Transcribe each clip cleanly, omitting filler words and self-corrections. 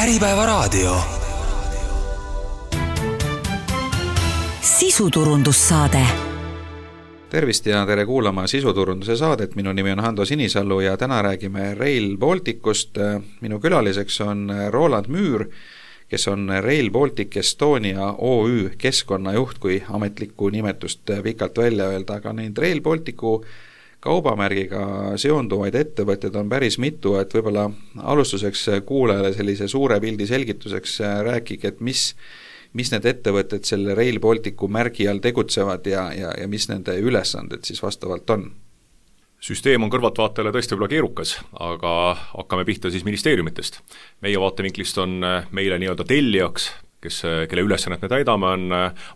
Äripäevaraadio. Sisuturundussaade. Tervist ja tere kuulama sisuturunduse saadet. Minu nimi on Hando Sinisalu ja täna räägime Rail Balticust. Minu külaliseks on Roland Müür, kes on Rail Baltic Estonia OÜ keskkonnajuht, kui ametlikku nimetust pikalt välja öelda, aga neid Rail Balticu kaubamärgiga seonduvaid ettevõtted on päris mitu, et võib-olla alustuseks kuulajale sellise suure pildi selgituseks rääkige, et mis need ettevõtted selle Rail Balticu märgi all tegutsevad ja mis nende ülesanded siis vastavalt on? Süsteem on kõrvaltvaatajale tõesti võib-olla keerukas, aga hakkame pihta siis ministeeriumitest. Meie vaatevinklist on meile nii-öelda tellijaks, kelle ülesannet me täidame, on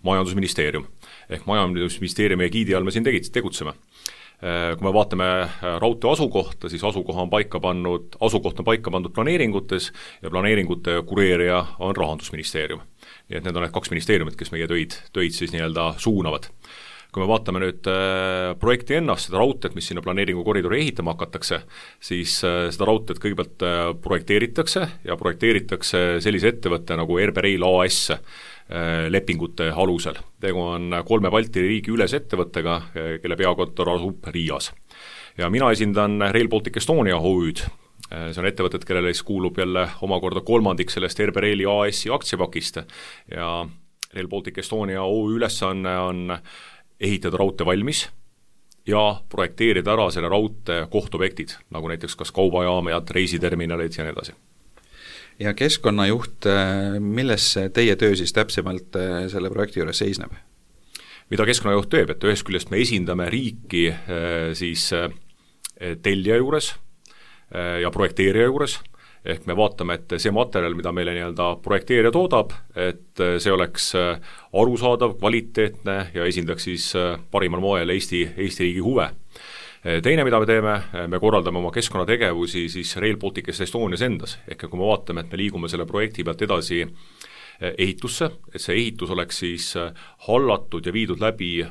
majandusministeerium. Ehk majandusministeeriumi egiidi all me siin tegutseme. Kui me vaatame raudtee asukohta, siis asukoht on paika pandud planeeringutes ja planeeringute kureerija on Rahandusministeerium. Nii et need on need kaks ministeeriumit, kes meie töid siis nii-öelda suunavad. Kui me vaatame nüüd projekti ennast, seda raudteed, mis sinna planeeringukoridori ehitama hakatakse, siis seda raudteed kõigepealt projekteeritakse sellise ettevõtte nagu RB Rail AS lepingute alusel. Tegu on 3 Balti riigi üles ettevõttega, kelle peakontor asub Riias. Ja mina esindan Rail Baltic Estonia OÜ'd. See on ettevõtted, kellele kuulub jälle omakorda kolmandik sellest RB Raili AS-i aktsiapakist ja Rail Baltic Estonia OÜ ülesanne on ehitada raudtee valmis ja projekteerida ära selle raudtee kohtobjektid, nagu näiteks kas kaubajaamad, reisiterminalid ja nii edasi. Ja keskkonnajuht, milles teie töö siis täpsemalt selle projekti juures seisneb? Mida keskkonnajuht teeb, et ühest küljest me esindame riiki siis tellija juures ja projekteerija juures, ehk me vaatame, et see materjal, mida meile nii-öelda projekteerija toodab, et see oleks arusaadav, kvaliteetne ja esindaks siis parimal moel Eesti riigi huve. Teine, mida me teeme, me korraldame oma keskkonnategevusi siis Rail Balticus Estonias endas, ehk kui me vaatame, et me liigume selle projekti pealt edasi ehitusse, et see ehitus oleks siis hallatud ja viidud läbi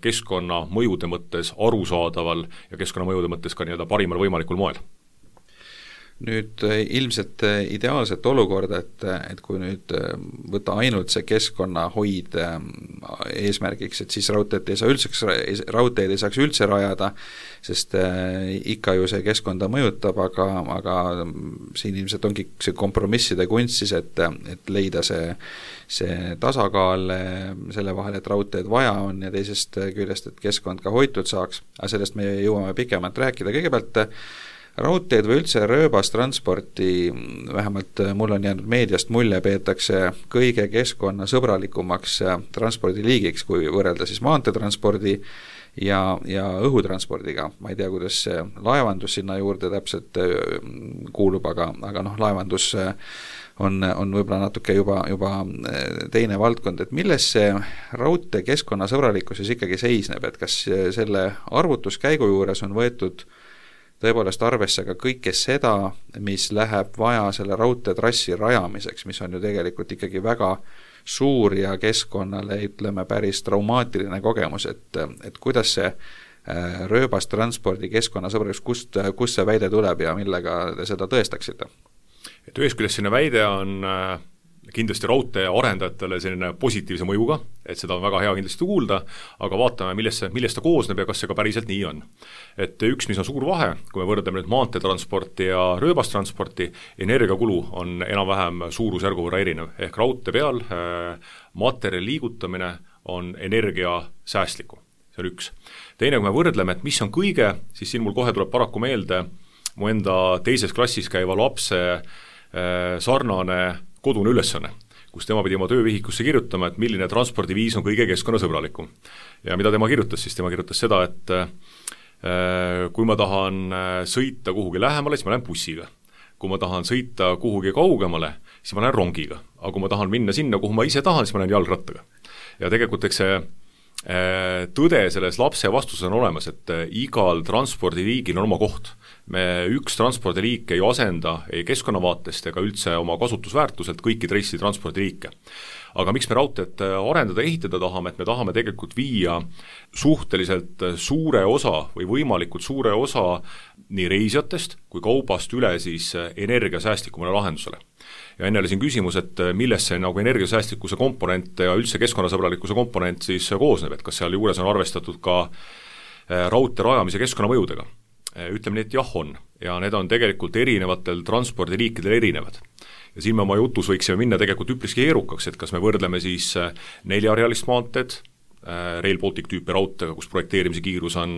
keskkonnamõjude mõttes arusaadaval ja keskkonnamõjude mõttes ka nii-öelda parimal võimalikul moel. Nüüd ilmselt ideaalset olukorda, et kui nüüd võtta ainult see keskkonnahoid eesmärgiks, et siis raudteed ei saaks üldse rajada, sest ikka ju see keskkonda mõjutab, aga siin ilmselt ongi see kompromisside kunst siis, et leida see tasakaal selle vahel, et raudteed vaja on ja teisest küljest, et keskkond ka hoitud saaks, aga sellest me jõuame pikemalt rääkida. Kõigepealt raudteed või üldse rööbastransporti, vähemalt mul on jäänud meediast mulje, peetakse kõige keskkonnasõbralikumaks transpordiliigiks, kui võrrelda siis maanteetranspordi ja õhutranspordiga. Ma ei tea, kuidas laevandus sinna juurde täpselt kuulub, aga laevandus on võib-olla natuke juba teine valdkond, et milles see raudtee keskkonnasõbralikkus siis ikkagi seisneb, et kas selle arvutuskäigu juures on võetud tõepoolest arvesse ka kõike seda, mis läheb vaja selle raudteetrassi rajamiseks, mis on ju tegelikult ikkagi väga suur ja keskkonnale, ütleme, päris traumaatiline kogemus, et kuidas see rööbastranspordi keskkonnasõbralikus, kust see väide tuleb ja millega te seda tõestaksite? Et ühest küljest selline väide on kindlasti raudtee arendajatele selline positiivse mõjuga, et seda on väga hea kindlasti kuulda, aga vaatame, millest ta koosneb ja kas see ka päriselt nii on. Et üks, mis on suur vahe, kui me võrdleme nüüd maanteetransporti ja rööbastransporti, energiakulu on enam-vähem suurusjärgu võrra erinev, ehk raudtee peal materjali liigutamine on energiasäästlikum. See on üks. Teine, kui me võrdleme, et mis on kõige, siis siin mul kohe tuleb paraku meelde mu enda teises klassis käiva lapse sarnane kodune ülesanne, kus tema pidi oma töövihikusse kirjutama, et milline transpordiviis on kõige keskkonnasõbralikum. Ja mida tema kirjutas, siis tema kirjutas seda, et kui ma tahan sõita kuhugi lähemale, siis ma lähen bussiga. Kui ma tahan sõita kuhugi kaugemale, siis ma lähen rongiga. Aga kui ma tahan minna sinna, kuhu ma ise tahan, siis ma lähen jalgrattaga. Ja tegelikult eks see tõde selles lapse vastuses on olemas, et igal transpordiliigil on oma koht. üks transpordiliik ei asenda ei keskkonnavaatest ega üldse oma kasutusväärtuselt kõiki teisi transpordiliike. Aga miks me raudteed arendada ja ehitada tahame, et me tahame tegelikult viia suhteliselt suure osa või võimalikult suure osa nii reisijatest kui kaubast üle siis energiasäästlikumale lahendusele. Ja enne oli siin küsimus, et millest see nagu energiasäästlikkuse komponent ja üldse keskkonnasõbralikkuse komponent siis koosneb, et kas seal juures on arvestatud ka raudtee rajamise keskkonnamõjudega. Ütleme nii, et jah on, ja need on tegelikult erinevatel transpordiliikidel erinevad. Ja siin me oma jutus võiksime minna tegelikult üpriski keerukaks, et kas me võrdleme siis 4-realist maanteed, Rail Baltic tüüpi raudteega, kus projekteerimise kiirus on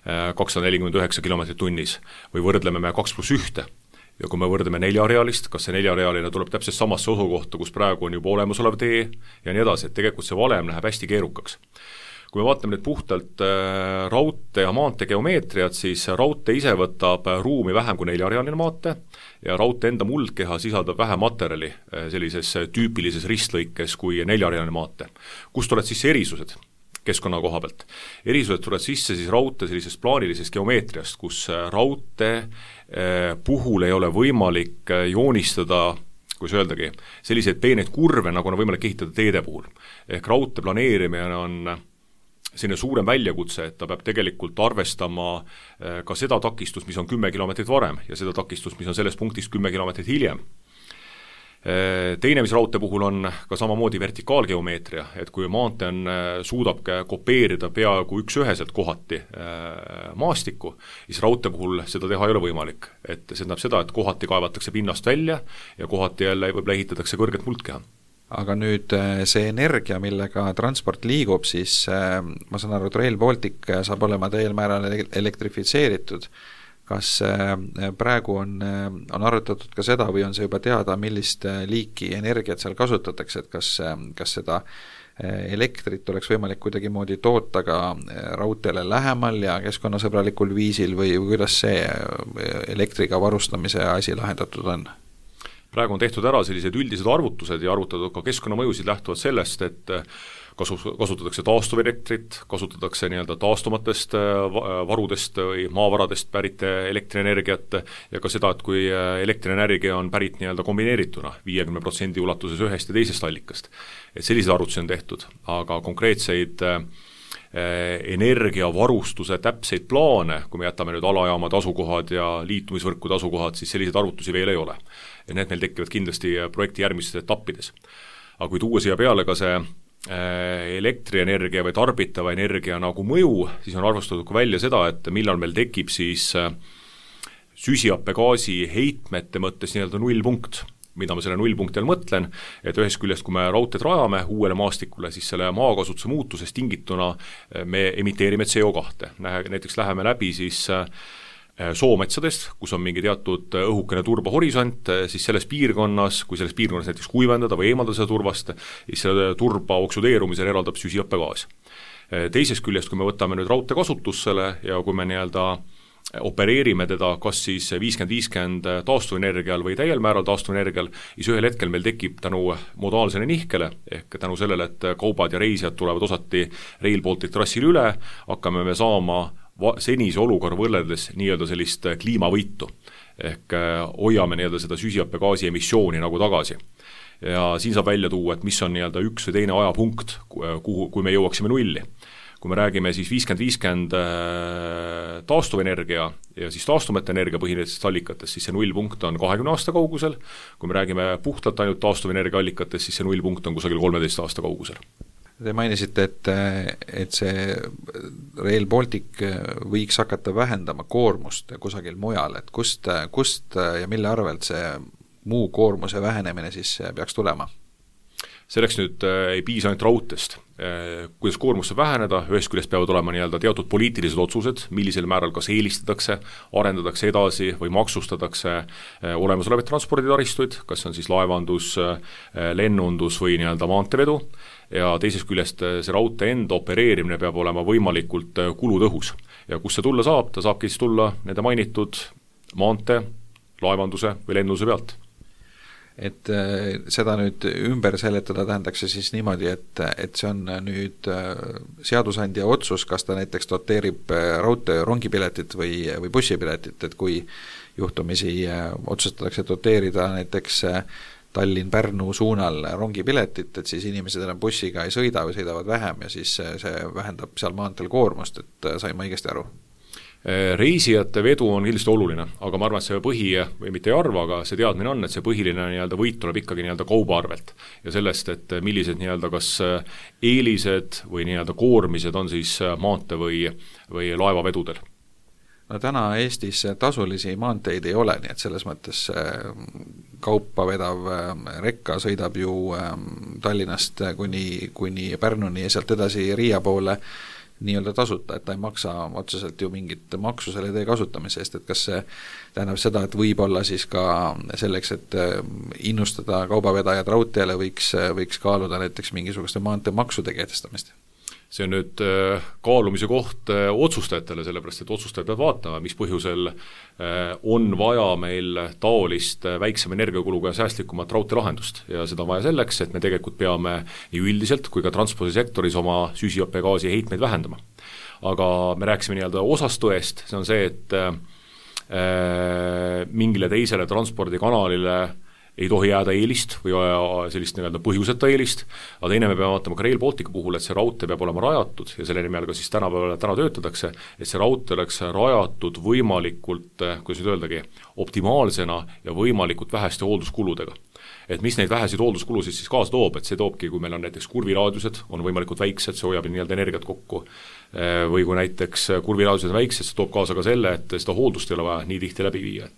249 kilomeetrit tunnis, või võrdleme me 2+1. Ja kui me võrdleme 4-realist, kas see 4-realine tuleb täpselt samasse osukohta, kus praegu on juba olemasolev tee ja nii edasi, et tegelikult see valem läheb hästi keerukaks. Kui me vaatame nüüd puhtalt raudtee ja maantee geomeetriat, siis raudtee ise võtab ruumi vähem kui 4-realine maantee ja raudtee enda muldkeha sisaldab vähem materjali sellises tüüpilises ristlõikes kui 4-realine maantee. Kust tulevad siis erisused keskkonna koha pealt? Erisused tulevad sisse siis raudtee sellisest plaanilisest geomeetriast, kus raudtee puhul ei ole võimalik joonistada, kus öeldagi, selliseid peeneid kurve, nagu on võimalik ehitada teede puhul. Ehk raudtee planeerimine on selline suurem väljakutse, et ta peab tegelikult arvestama ka seda takistust, mis on 10 kilomeetrit varem ja seda takistust, mis on sellest punktist 10 kilomeetrit hiljem. Teine, mis raudtee puhul on ka samamoodi vertikaalgeomeetria, et kui maantee suudab kopeerida peaaegu üks-üheselt kohati maastikku, siis raudtee puhul seda teha ei ole võimalik. Et see tähendab seda, et kohati kaevatakse pinnast välja ja kohati jälle võib-olla ehitatakse kõrget muldkeha. Aga nüüd see energia, millega transport liigub, siis ma saan aru, et Rail Baltic saab olema täiel määral elektrifitseeritud. Kas praegu on arutatud ka seda või on see juba teada, millist liiki energiat seal kasutatakse, et kas seda elektrit oleks võimalik kuidagimoodi toota ka raudteele lähemal ja keskkonnasõbralikul viisil või kuidas see elektriga varustamise asi lahendatud on? Praegu on tehtud ära sellised üldised arvutused ja arvutatud ka keskkonnamõjusid lähtuvalt sellest, et kasutatakse taastuvelektrit, kasutatakse nii-öelda taastumatest varudest või maavaradest pärit elektrienergiat ja ka seda, et kui elektrienergia on pärit nii-öelda kombineerituna 50% ulatuses ühest ja teisest allikast. Et sellised arvutusi on tehtud, aga konkreetseid energiavarustuse täpseid plaane, kui me jätame nüüd alajaamad asukohad ja liitumisvõrkude asukohad, siis selliseid arvutusi veel ei ole. Ja need meil tekivad kindlasti projekti järgmistes etappides. Aga kui tuua siia peale ka see elektrienergia või tarbitava energia nagu mõju, siis on arvustatud ka välja seda, et millal meil tekib siis süsihappegaasi heitmete mõttes nii-öelda nullpunkt. Mida ma selle nullpunkti all mõtlen, et ühest küljest, kui me raudteed rajame uuele maastikule, siis selle maakasutuse muutusest tingituna me emiteerime CO2. Näiteks läheme läbi siis soometsadest, kus on mingi teatud õhukene turbahorisont, siis selles piirkonnas, kui selles piirkonnas näiteks kuivendada või eemaldada seda turvast, siis selle turba oksudeerumisel eraldab süsihappegaas. Teisest küljest, kui me võtame nüüd raudtee kasutussele ja kui me nii-öelda opereerime teda kas siis 50-50 taastuvenergial või täiel määral taastuvenergial, siis ühel hetkel meil tekib tänu modaalsele nihkele, ehk tänu sellele, et kaubad ja reisijad tulevad osati Rail Baltic trassil üle, hakkame me saama senise olukorra võrreldes nii-öelda sellist kliimavõitu, ehk hoiame nii-öelda seda süsihappegaasi emissiooni nagu tagasi. Ja siin saab välja tuua, et mis on nii-öelda üks või teine ajapunkt, kui me jõuaksime nulli. Kui me räägime siis 50-50 taastuvenergia ja siis taastumata energia põhinevatest allikatest, siis see nullpunkt on 20 aasta kaugusel. Kui me räägime puhtalt ainult taastuvenergia allikatest, siis see nullpunkt on kusagil 13 aasta kaugusel. Te mainisite, et see Rail Baltic võiks hakata vähendama koormust kusagil mujal, et kust ja mille arvelt see muu koormuse vähenemine siis peaks tulema? Selleks nüüd ei piisa ainult raudtest. Kuidas koormus saab väheneda, ühest küljest peavad olema nii-öelda teatud poliitilised otsused, millisel määral kas eelistatakse, arendatakse edasi või maksustatakse olemasolevaid transporditaristuid, kas on siis laevandus, lennundus või nii-öelda maanteevedu, ja teisest küljest see raudtee enda opereerimine peab olema võimalikult kulutõhus. Ja kus see tulla saab, ta saabki siis tulla nende mainitud maantee, laevanduse või lennuse pealt. et seda nüüd ümber seletada tähendaks see siis niimoodi, et see on nüüd seadusandja otsus, kas ta näiteks doteerib raudtee rongipiletit või bussipiletit, et kui juhtumisi otsustatakse doteerida näiteks Tallinn-Pärnu suunal rongipiletit, et siis inimesed enam bussiga ei sõida või sõidavad vähem ja siis see vähendab seal maanteel koormust, et sain ma õigesti aru? Reisijate vedu on kindlasti oluline, aga ma arvan, et see või mitte ei arva, aga see teadmine on, et see põhiline nii-öelda võit tuleb ikkagi nii-öelda kauba arvelt ja sellest, et millised nii-öelda kas eelised või nii-öelda koormised on siis maantee või laevavedudel. No täna Eestis tasulisi maanteid ei ole, nii et selles mõttes kaupa vedav rekka sõidab ju Tallinnast kuni Pärnuni ja sealt edasi Riia poole nii-öelda tasuta, et ta ei maksa otseselt ju mingit maksu selle tee kasutamise eest, et kas see tähendab seda, et võib-olla siis ka selleks, et innustada kaubavedajad raudteele võiks kaaluda näiteks mingisuguste maanteemaksude kehtestamist? See on nüüd kaalumise koht otsustajatele, sellepärast et otsustajad peavad vaatama, mis põhjusel on vaja meil taolist väiksema energiakuluga ja säästlikumat raudteelahendust ja seda on vaja selleks, et me tegelikult peame nii üldiselt kui ka transpordisektoris oma süsihappegaasi heitmeid vähendama. Aga me rääkisime nii-öelda osast tõest, see on see, et mingile teisele transpordikanalile ei tohi jääda eelist või sellist nii-öelda põhjuseta eelist, aga teine me peame vaatama ka Rail Balticu puhul, et see raudtee peab olema rajatud ja selle nimel ka siis täna töötatakse, et see raudtee oleks rajatud võimalikult, kuidas nüüd öeldagi, optimaalsena ja võimalikult väheste hoolduskuludega. Et mis neid vähesid hoolduskulusid siis kaasa toob, et see toobki, kui meil on näiteks kurviraadiused, on võimalikult väiksed, see hoiab nii-öelda energiat kokku, või kui näiteks kurviraadiused on väiksed, see toob kaasa ka selle, et seda hooldust ei ole vaja nii tihti läbi viia.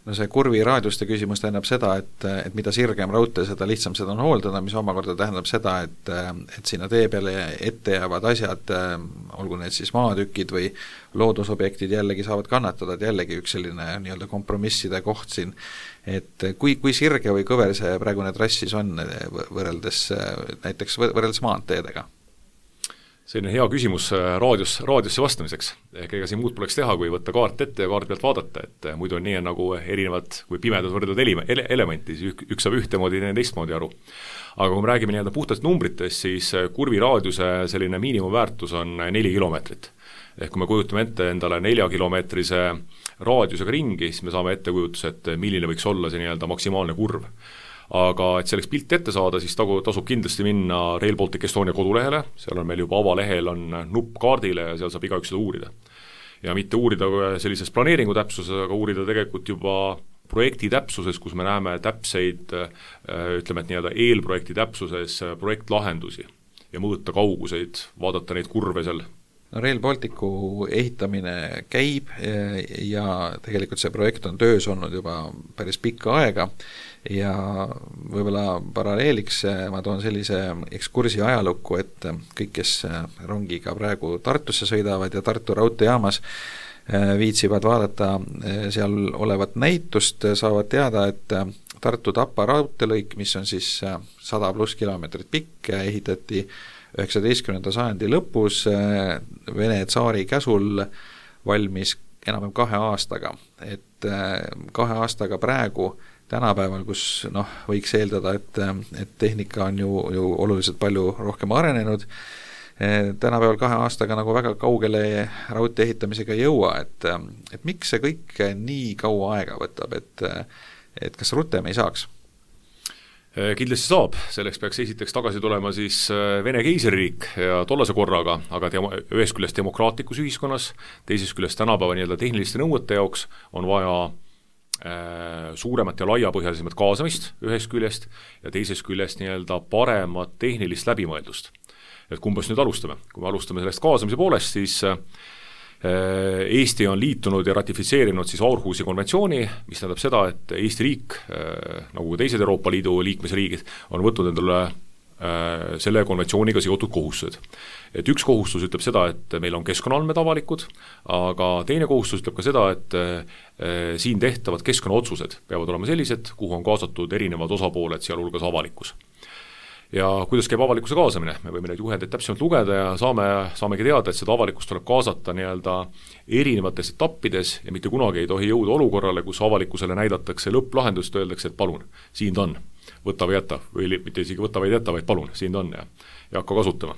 No see kurviraadiuste küsimus tähendab seda, et mida sirgem raudtee, seda lihtsam seda on hooldada, mis omakorda tähendab seda, et sinna tee peale ette jäävad asjad, olgu need siis maatükid või loodusobjektid jällegi saavad kannatada, et jällegi üks selline nii-öelda kompromisside koht siin, et kui sirge või kõver see praegune trass siis on võrreldes maanteedega? Selline hea küsimus raadiosse vastamiseks. Ega siin muud poleks teha, kui võtta kaart ette ja kaart pealt vaadata, et muidu on nii nagu erinevad, kui pimedad võrdlevad elementi, siis üks saab ühtemoodi ja teistmoodi aru. Aga kui me räägime nii-öelda puhtast numbritest, siis kurviraadiuse selline miinimumväärtus on 4 kilomeetrit. Ehk kui me kujutame ette endale 4-kilomeetrise raadiusega ringi, siis me saame ettekujutus, et milline võiks olla see nii-öelda maksimaalne kurv. Aga et selleks pilti ette saada, siis tasub kindlasti minna Rail Baltic Estonia kodulehele, seal on meil juba avalehel on nupp kaardile ja seal saab igaüks seda uurida. Ja mitte uurida sellises planeeringu täpsuses, aga uurida tegelikult juba projekti täpsuses, kus me näeme täpseid, ütleme, et nii-öelda eelprojekti täpsuses projektlahendusi ja mõõta kauguseid, vaadata neid kurve seal. No Rail Balticu ehitamine käib ja tegelikult see projekt on töös olnud juba päris pikka aega ja võib-olla paralleeliks ma toon sellise ekskursi ajalukku, et kõik, kes rongiga praegu Tartusse sõidavad ja Tartu raudteejaamas viitsivad vaadata seal olevat näitust, saavad teada, et Tartu-Tapa raudteelõik, mis on siis 100+ kilomeetrit pikk, ehitati 19. sajandi lõpus Vene tsaari käsul valmis enam 2 aastaga, et 2 aastaga praegu tänapäeval, kus võiks eeldada, et tehnika on ju oluliselt palju rohkem arenenud, tänapäeval 2 aastaga nagu väga kaugele raudtee ehitamisega ei jõua, et miks see kõik nii kaua aega võtab, et kas rutem ei saaks? Kindlasti saab, selleks peaks esiteks tagasi tulema siis Vene keisririik ja tollase korraga, aga ühest küljest demokraatlikus ühiskonnas, teisest küljest tänapäeva nii-öelda tehniliste nõuete jaoks on vaja suuremat ja laiapõhjalisemat kaasamist ühest küljest ja teisest küljest nii-öelda paremat tehnilist läbimõeldust. Et kumbast nüüd alustame? Kui me alustame sellest kaasamise poolest, siis Eesti on liitunud ja ratifitseerinud siis Aarhusi konventsiooni, mis tähendab seda, et Eesti riik, nagu teised Euroopa Liidu liikmesriigid, on võtnud endale selle konventsiooniga seotud kohustused. Et üks kohustus ütleb seda, et meil on keskkonnaandmed avalikud, aga teine kohustus ütleb ka seda, et siin tehtavad keskkonnaotsused peavad olema sellised, kuhu on kaasatud erinevad osapooled, sealhulgas avalikkus. Ja kuidas käib avalikkuse kaasamine? Me võime neid juhendeid täpsemalt lugeda ja saamegi teada, et seda avalikkust tuleb kaasata nii-öelda erinevates etappides ja mitte kunagi ei tohi jõuda olukorrale, kus avalikkusele näidatakse lõpplahendust, öeldakse, et palun, siin ta on. võta või jäta, või mitte isegi võta või jäta, vaid palun, siin ta on ja hakka kasutama.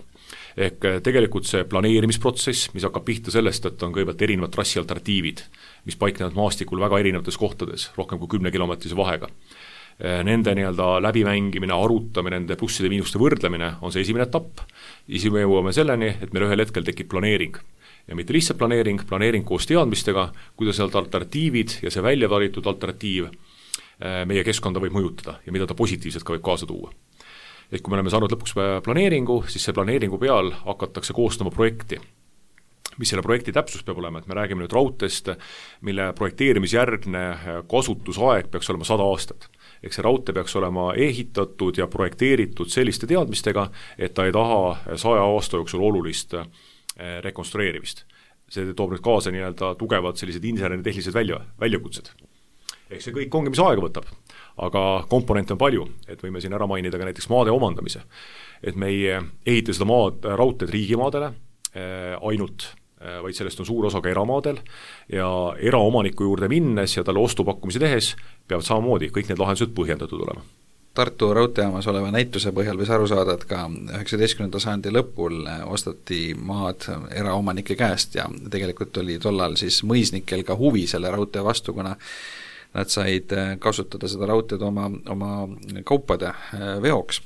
Ehk tegelikult see planeerimisprotsess, mis hakkab pihta sellest, et on kõigepealt erinevad trassi alternatiivid, mis paiknevad maastikul väga erinevates kohtades, rohkem kui 10 kilomeetrise vahega. Nende läbimängimine, arutamine, nende plusside miinuste võrdlemine on see esimene etapp, siis me jõuame selleni, et meil ühel hetkel tekib planeering. Ja mitte lihtsalt planeering koos teadmistega, kuidas sealt alternatiivid ja see välja valitud alternatiiv meie keskkonda võib mõjutada ja mida ta positiivselt ka võib kaasa tuua. Et kui me oleme saanud lõpuks planeeringu, siis see planeeringu peal hakatakse koostama projekti. Mis selle projekti täpsus peab olema, et me räägime nüüd raudteest, mille projekteerimisjärgne kasutusaeg peaks olema 100 aastat. Ehk see raudtee peaks olema ehitatud ja projekteeritud selliste teadmistega, et ta ei taha 100 aasta jooksul olulist rekonstrueerimist. See toob nüüd kaasa tugevad sellised inseneritehnilised väljakutsed. Ehk see kõik ongi, mis aega võtab, aga komponente on palju, et võime siin ära mainida ka näiteks maade omandamise. Et me ei ehita seda raudteed riigimaadele ainult, vaid sellest on suur osa ka eramaadel ja eraomaniku juurde minnes ja talle ostupakkumisi tehes peavad samamoodi kõik need lahendused põhjendatud olema. Tartu raudteejaamas oleva näituse põhjal võis aru saada, et ka 19. sajandi lõpul ostati maad eraomanike käest ja tegelikult oli tollal siis mõisnikel ka huvi selle raudtee vastu, kuna nad said kasutada seda raudteed oma kaupade veoks.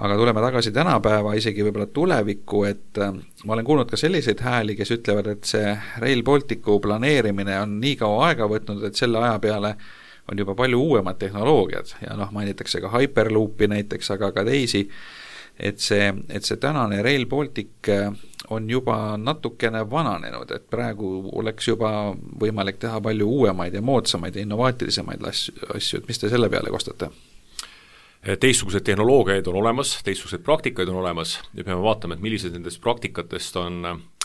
Aga tuleme tagasi tänapäeva, isegi võib-olla tulevikku, et ma olen kuulnud ka selliseid hääli, kes ütlevad, et see Rail Balticu planeerimine on nii kaua aega võtnud, et selle aja peale on juba palju uuemad tehnoloogiad ja mainitakse ka Hyperloopi näiteks, aga ka teisi, et see tänane Rail Baltic on juba natukene vananenud, et praegu oleks juba võimalik teha palju uuemaid ja moodsamaid ja innovaatilisemaid asju, et mis te selle peale kostate? Teistsugused tehnoloogiaid on olemas, teistsuguseid praktikaid on olemas ja peame vaatama, et millised nendest praktikatest on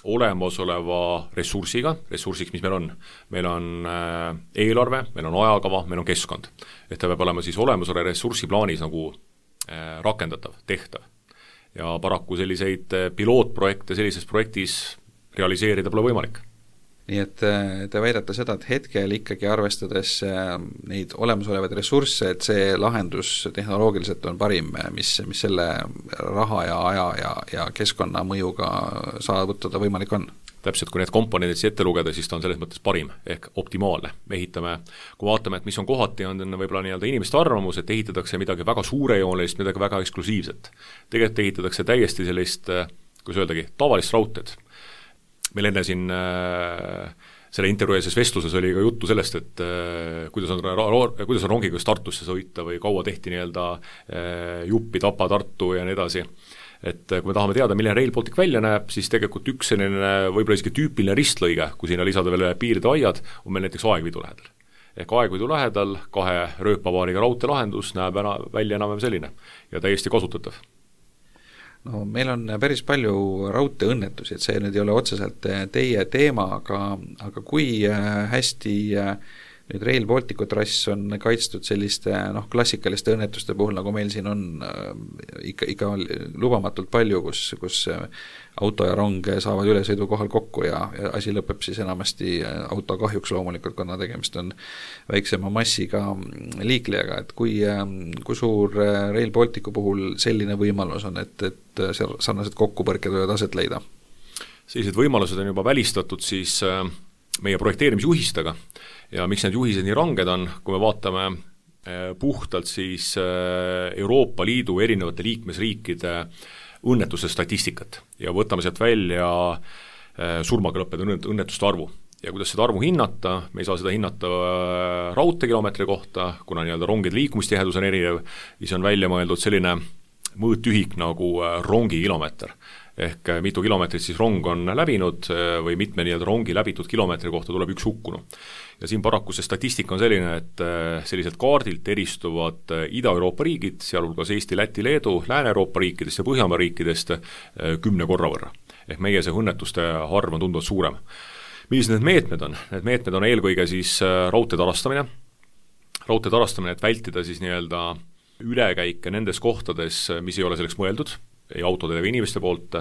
olemasoleva ressursiks, mis meil on. Meil on eelarve, meil on ajakava, meil on keskkond. Et ta peab olema siis olemasoleva ressursi plaanis nagu rakendatav, tehtav. Ja paraku selliseid pilootprojekte sellises projektis realiseerida pole võimalik. Nii et te väidate seda, et hetkel ikkagi arvestades neid olemasolevaid ressursse, et see lahendus tehnoloogiliselt on parim, mis selle raha ja aja ja keskkonna mõjuga saavutada võimalik on? Täpselt, kui need komponendid ette lugeda, siis ta on selles mõttes parim, ehk optimaalne. Me ehitame, kui vaatame, et mis on kohati, on võib-olla inimeste arvamus, et ehitatakse midagi väga suurejoonelist, midagi väga eksklusiivset. Tegelikult ehitatakse täiesti sellist, kuidas öeldagi, tavalist raudteed. Meil enne siin selle intervjueses vestluses oli ka juttu sellest, et kuidas on rongiga Tartusse sõita või kaua tehti Juppi, Tapa, Tartu ja nii edasi. Et kui me tahame teada, milline Rail Baltic välja näeb, siis tegelikult üks selline võib-olla isegi tüüpiline ristlõige, kui sinna lisada veel piiride aiad, on meil näiteks Aegviidu lähedal. Ehk Aegviidu lähedal 2 rööpapaariga raudteelahendus näeb välja enam selline ja täiesti kasutatav. No meil on päris palju raudteeõnnetusi, et see nüüd ei ole otseselt teie teema, aga kui hästi nüüd Rail Balticu trass on kaitstud selliste klassikaliste õnnetuste puhul, nagu meil siin on ikka lubamatult palju, kus auto ja rong saavad ülesõidukohal kokku ja asi lõpeb siis enamasti auto kahjuks loomulikult, kuna tegemist on väiksema massiga liiklejaga, et kui suur Rail Balticu puhul selline võimalus on, et sarnased kokkupõrked võivad aset leida? Sellised võimalused on juba välistatud siis meie projekteerimisjuhistega ja miks need juhised nii ranged on, kui me vaatame puhtalt siis Euroopa Liidu erinevate liikmesriikide õnnetuse statistikat ja võtame sealt välja surmaga lõppenud õnnetuste arvu. Ja kuidas seda arvu hinnata, me ei saa seda hinnata raudteekilomeetri kohta, kuna rongide liikumistihedus on erinev, siis on välja mõeldud selline mõõtühik nagu rongikilomeeter. Ehk mitu kilomeetrit siis rong on läbinud või mitme rongi läbitud kilomeetri kohta tuleb üks hukkunu. Ja siin paraku see statistika on selline, et selliselt kaardilt eristuvad Ida-Euroopa riigid, sealhulgas Eesti, Läti, Leedu, Lääne-Euroopa riikidest ja Põhjamaa riikidest 10 korra võrra. Ehk meie see õnnetuste arv on tunduvalt suurem. Millised need meetmed on? Need meetmed on eelkõige siis raudtee tarastamine, et vältida siis ülekäike nendes kohtades, mis ei ole selleks mõeldud, ei autode või inimeste poolt,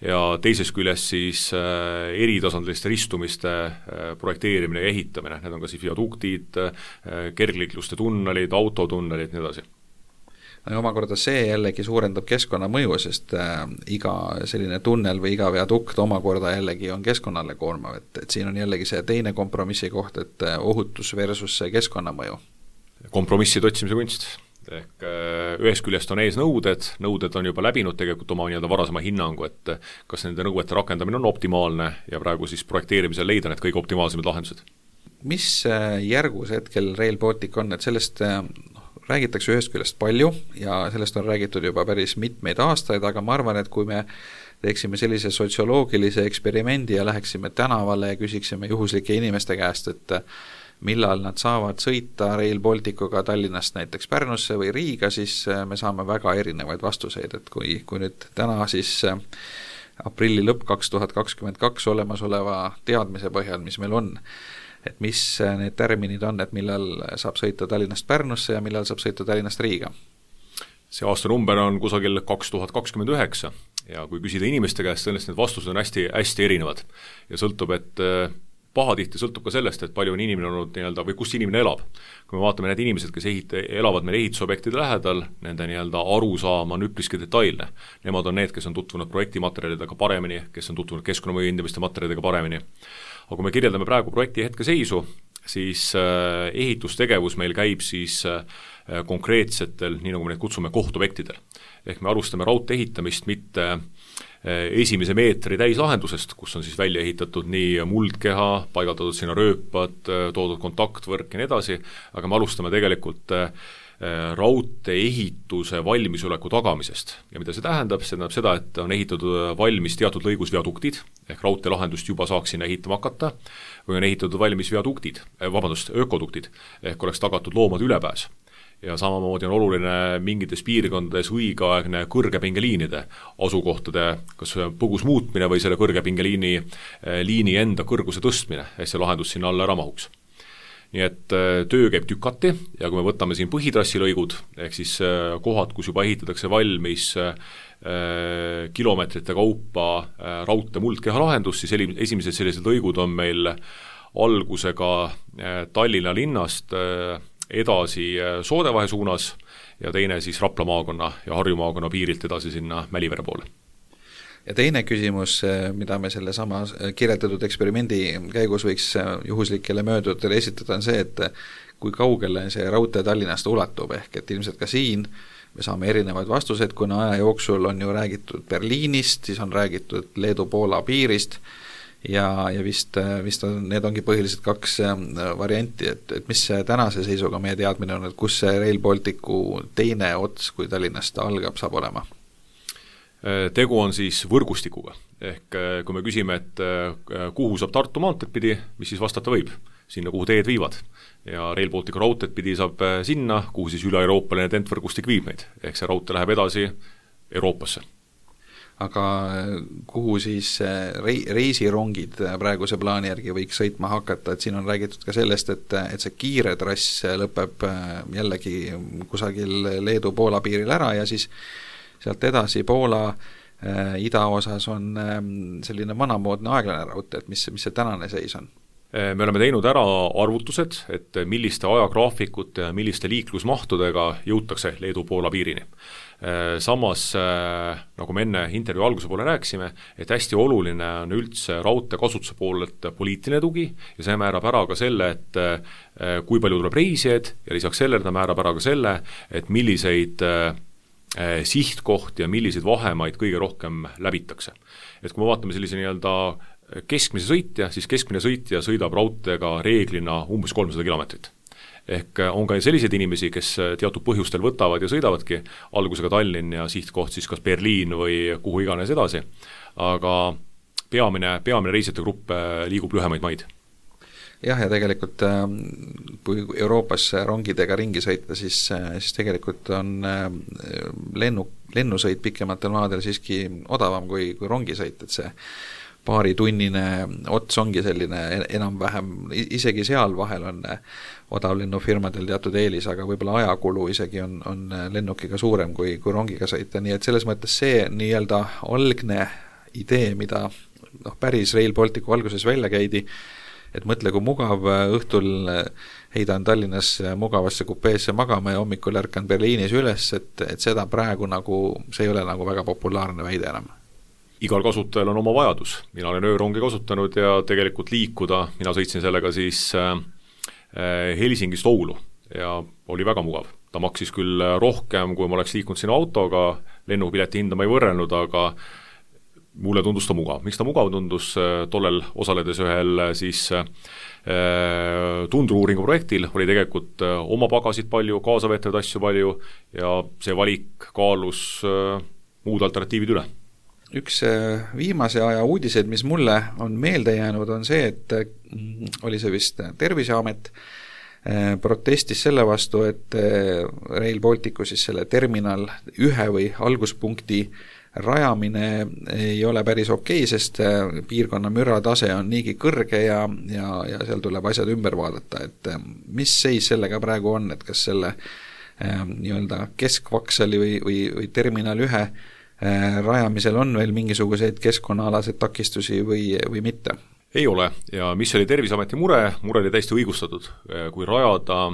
ja teises küljest siis eritasandiliste ristumiste projekteerimine ja ehitamine, need on ka siis viaduktid, kergliikluste tunnelid, autotunnelid, nii edasi. ja omakorda see jällegi suurendab keskkonnamõju, sest iga selline tunnel või iga veadukt omakorda jällegi on keskkonnale koormav, et siin on jällegi see teine kompromissi koht, et ohutus versus see keskkonnamõju. Kompromisside otsimise kunst. Ehk ühest küljest on ees nõuded on juba läbinud tegelikult oma nii-öelda varasema hinnangu, et kas nende nõuete rakendamine on optimaalne ja praegu siis projekteerimisel leida need kõige optimaalsemad lahendused. Mis järgus hetkel Rail Baltic on, et sellest räägitakse ühest küljest palju ja sellest on räägitud juba päris mitmeid aastaid, aga ma arvan, et kui me teeksime sellise sotsioloogilise eksperimendi ja läheksime tänavale ja küsiksime juhuslike inimeste käest, et millal nad saavad sõita Rail Balticuga Tallinnast näiteks Pärnusse või Riiga, siis me saame väga erinevaid vastuseid, et kui nüüd täna siis aprilli lõpp 2022 olemasoleva teadmise põhjal, mis meil on, et mis need tärminid on, et millal saab sõita Tallinnast Pärnusse ja millal saab sõita Tallinnast Riiga? See aastanumber on kusagil 2029 ja kui küsida inimeste käest, sellest need vastused on hästi, hästi erinevad ja sõltub, et pahatihti sõltub ka sellest, et palju on inimene olnud nii-öelda või kus inimene elab. Kui me vaatame need inimesed, kes elavad meil ehitusobjektide lähedal, nende nii-öelda arusaam on üpriski detailne. Nemad on need, kes on tutvunud projektimaterjalidega paremini, kes on tutvunud keskkonnamõju hindamiste materjalidega paremini. Aga kui me kirjeldame praegu projekti hetkeseisu, siis ehitustegevus meil käib siis konkreetsetel, nii nagu me neid kutsume, kohtobjektidel. Ehk me alustame raudtee ehitamist mitte esimese meetri täislahendusest, kus on siis välja ehitatud nii muldkeha, paigaldatud sinna rööpad, toodud kontaktvõrk ja nii edasi, aga me alustame tegelikult raudtee ehituse valmisoleku tagamisest. Ja mida see tähendab? See tähendab seda, et on ehitatud valmis teatud lõigus viaduktid, ehk raudtee lahendust juba saaks sinna ehitama hakata, või on ehitatud valmis ökoduktid, ehk oleks tagatud loomade ülepääs. Ja samamoodi on oluline mingites piirkondades õigeaegne kõrgepingeliinide asukohtade kas põgus muutmine või selle kõrgepingeliini enda kõrguse tõstmine, et see lahendus sinna alla ära mahuks. Nii et töö käib tükati ja kui me võtame siin põhitrassilõigud, ehk siis kohad, kus juba ehitatakse valmis kilomeetrite kaupa raudtee muldkeha lahendus, siis esimesed sellised lõigud on meil algusega Tallinna linnast edasi Soodevahe suunas ja teine siis Rapla maakonna ja Harju maakonna piirilt edasi sinna Mälivere poole. Ja teine küsimus, mida me selle sama kirjeldatud eksperimendi käigus võiks juhuslikele möödujatele esitada, on see, et kui kaugele see raudtee Tallinnast ulatub, ehk et ilmselt ka siin me saame erinevaid vastuseid, kuna aja jooksul on ju räägitud Berliinist, siis on räägitud Leedu-Poola piirist ja vist on, need ongi põhiliselt kaks varianti, et mis tänase seisuga meie teadmine on, et kus see Rail Balticu teine ots, kui Tallinnast algab, saab olema? Tegu on siis võrgustikuga, ehk kui me küsime, et kuhu saab Tartu maanteed pidi, mis siis vastata võib? Sinna, kuhu teed viivad. Ja Rail Balticu raudteed pidi saab sinna, kuhu siis üle-euroopaline tentvõrgustik viib meid, ehk see raudtee läheb edasi Euroopasse. Aga kuhu siis reisirongid praeguse plaani järgi võiks sõitma hakata, et siin on räägitud ka sellest, et see kiire trass lõpeb jällegi kusagil Leedu-Poola piiril ära ja siis sealt edasi Poola idaosas on selline vanamoodne aeglane raudtee, et mis see tänane seis on? Me oleme teinud ära arvutused, et milliste ajagraafikute ja milliste liiklusmahtudega jõutakse Leedu-Poola piirini. Samas, nagu me enne intervjuu alguse poole rääkisime, et hästi oluline on üldse raudtee kasutuse poolelt poliitiline tugi ja see määrab ära ka selle, et kui palju tuleb reisijaid ja lisaks sellele ta määrab ära ka selle, et milliseid sihtkohti ja milliseid vahemaid kõige rohkem läbitakse. Et kui me vaatame sellise nii-öelda keskmise sõitja, siis keskmine sõitja sõidab raudteega reeglina umbes 300 kilomeetrit. Ehk on ka selliseid inimesi, kes teatud põhjustel võtavad ja sõidavadki algusega Tallinn ja sihtkoht siis kas Berliin või kuhu iganes edasi, aga peamine reisijate grupp liigub lühemaid maid. Jah, ja tegelikult kui Euroopas rongidega ringi sõita, siis tegelikult on lennusõit pikematel maadel siiski odavam kui rongisõit, et see paaritunnine ots ongi selline enam-vähem, isegi seal vahel on odavlennufirmadel teatud eelis, aga võib-olla ajakulu isegi on lennukiga suurem kui rongiga sõita, nii et selles mõttes see nii-öelda algne idee, mida päris Rail Balticu alguses välja käidi, et mõtle, kui mugav õhtul heidan Tallinnas mugavasse kupeesse magama ja hommikul ärkan Berliinis üles, et seda praegu nagu, see ei ole nagu väga populaarne väide enam. Igal kasutajal on oma vajadus. Mina olen öörongi kasutanud ja tegelikult liikuda, mina sõitsin sellega siis Helsingist Oulu ja oli väga mugav. Ta maksis küll rohkem, kui ma oleks liikunud sinna autoga, lennupileti hinda ma ei võrrelnud, aga mulle tundus ta mugav. Miks ta mugav tundus? Tollel osaledes ühel siis tundru-uuringu projektil oli tegelikult oma pagasid palju, kaasaveetavaid asju palju ja see valik kaalus muud alternatiivid üle. Üks viimase aja uudiseid, mis mulle on meelde jäänud, on see, et oli see vist Terviseamet protestis selle vastu, et Rail Balticu siis selle terminal 1 või alguspunkti rajamine ei ole päris okei, sest piirkonna müratase on niigi kõrge ja seal tuleb asjad ümber vaadata, et mis seis sellega praegu on, et kas selle nii-öelda keskvaksali või terminal 1 rajamisel on veel mingisuguseid keskkonnaalaseid takistusi või mitte? Ei ole ja mis oli Terviseameti mure oli täiesti õigustatud. Kui rajada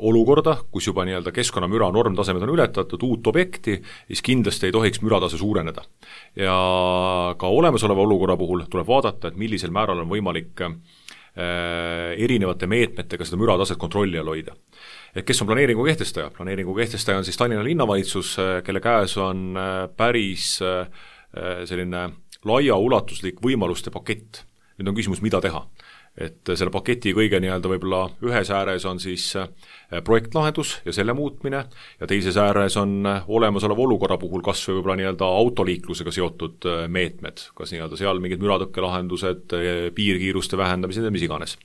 olukorda, kus juba nii-öelda keskkonnamüra normtasemed on ületatud, uut objekti, siis kindlasti ei tohiks müratase suureneda. Ja ka olemasoleva olukorra puhul tuleb vaadata, et millisel määral on võimalik erinevate meetmetega seda mürataset kontrolli all hoida. Et kes on planeeringu kehtestaja? Planeeringu kehtestaja on siis Tallinna linnavalitsus, kelle käes on päris selline laia ulatuslik võimaluste pakett. Nüüd on küsimus, mida teha. Et selle paketi kõige nii-öelda võib-olla ühes ääres on siis projektlahendus ja selle muutmine ja teises ääres on olemasoleva olukorra puhul kas või võib-olla nii-öelda autoliiklusega seotud meetmed, kas nii-öelda seal mingid müratõkkelahendused, piirkiiruste vähendamised ja mis iganes.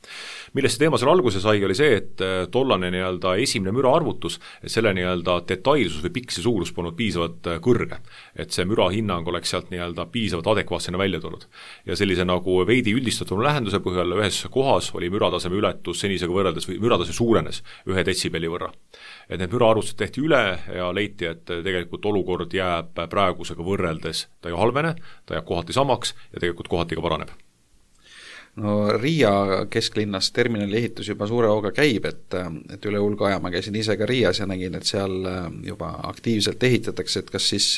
Millest see teema seal alguse sai, oli see, et tollane nii-öelda esimene müra arvutus, et selle nii-öelda detailsus või piksi suurus polnud piisavalt kõrge, et see müra hinnang oleks sealt nii-öelda piisavalt adekvaatsena välja tulnud. Ja sellise nagu veidi üldistatud lähenduse põhjal ühes kohas oli mürataseme ületus senisega võrreldes või müratase suurenes 1 detsibelli võrra. Et need müraarvutused tehti üle ja leiti, et tegelikult olukord jääb praegusega võrreldes, ta ei halvene, ta jääb kohati samaks ja tegelikult kohati ka paraneb. No Riia kesklinnas terminali ehitus juba suure hooga käib, et üle hulga aja ma käisin ise ka Riias ja nägin, et seal juba aktiivselt ehitatakse, et kas siis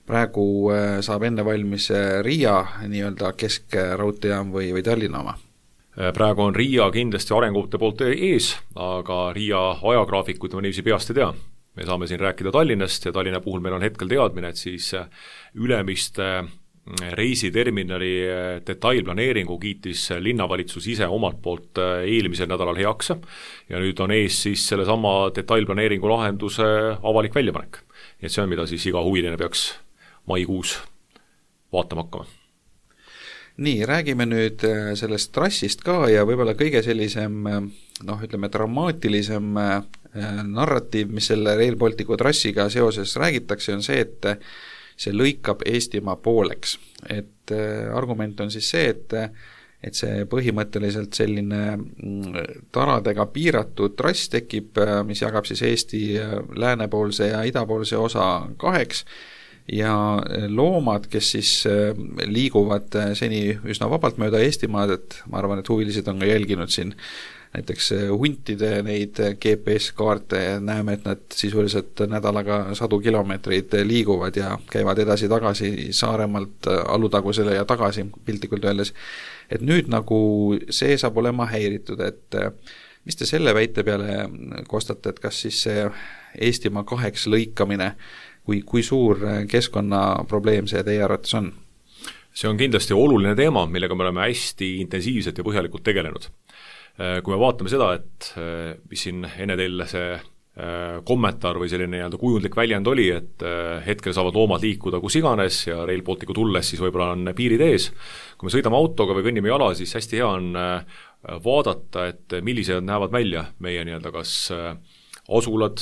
praegu saab enne valmis Riia nii-öelda keskraudteejaam või Tallinna oma? Praegu on Riia kindlasti arengute poolt ees, aga Riia ajagraafikut ma niiviisi peast ei tea. Me saame siin rääkida Tallinnast ja Tallinna puhul meil on hetkel teadmine, et siis Ülemiste reisiterminali detailplaneeringu kiitis linnavalitsus ise omalt poolt eelmisel nädalal heaks ja nüüd on ees siis selle sama detailplaneeringu lahenduse avalik väljapanek. Et see on, mida siis iga huviline peaks maikuus vaatama hakkama. Nii, räägime nüüd sellest trassist ka ja võib-olla kõige sellisem, ütleme, dramaatilisem narratiiv, mis selle Rail Balticu trassiga seoses räägitakse, on see, et see lõikab Eestimaa pooleks. Et argument on siis see, et see põhimõtteliselt selline taradega piiratud trass tekib, mis jagab siis Eesti läänepoolse ja idapoolse osa 2 ja loomad, kes siis liiguvad seni üsna vabalt mööda Eestimaad, et ma arvan, et huvilised on ka jälginud siin näiteks huntide neid GPS-kaarte ja näeme, et nad sisuliselt nädalaga 100 kilomeetreid liiguvad ja käivad edasi-tagasi Saaremaalt Alutagusele ja tagasi, piltlikult öeldes. Et nüüd nagu see saab olema häiritud, et mis te selle väite peale kostate, et kas siis see Eestimaa 2 lõikamine kui suur keskkonnaprobleem see teie arvates on? See on kindlasti oluline teema, millega me oleme hästi intensiivselt ja põhjalikult tegelenud. Kui me vaatame seda, et mis siin enne teil see kommentaar või selline nii-öelda kujundlik väljend oli, et hetkel saavad loomad liikuda kus iganes ja Rail Balticu tulles siis võib-olla on piirid ees. Kui me sõidame autoga või kõnnime jala, siis hästi hea on vaadata, et millised näevad välja meie nii-öelda kas asulad,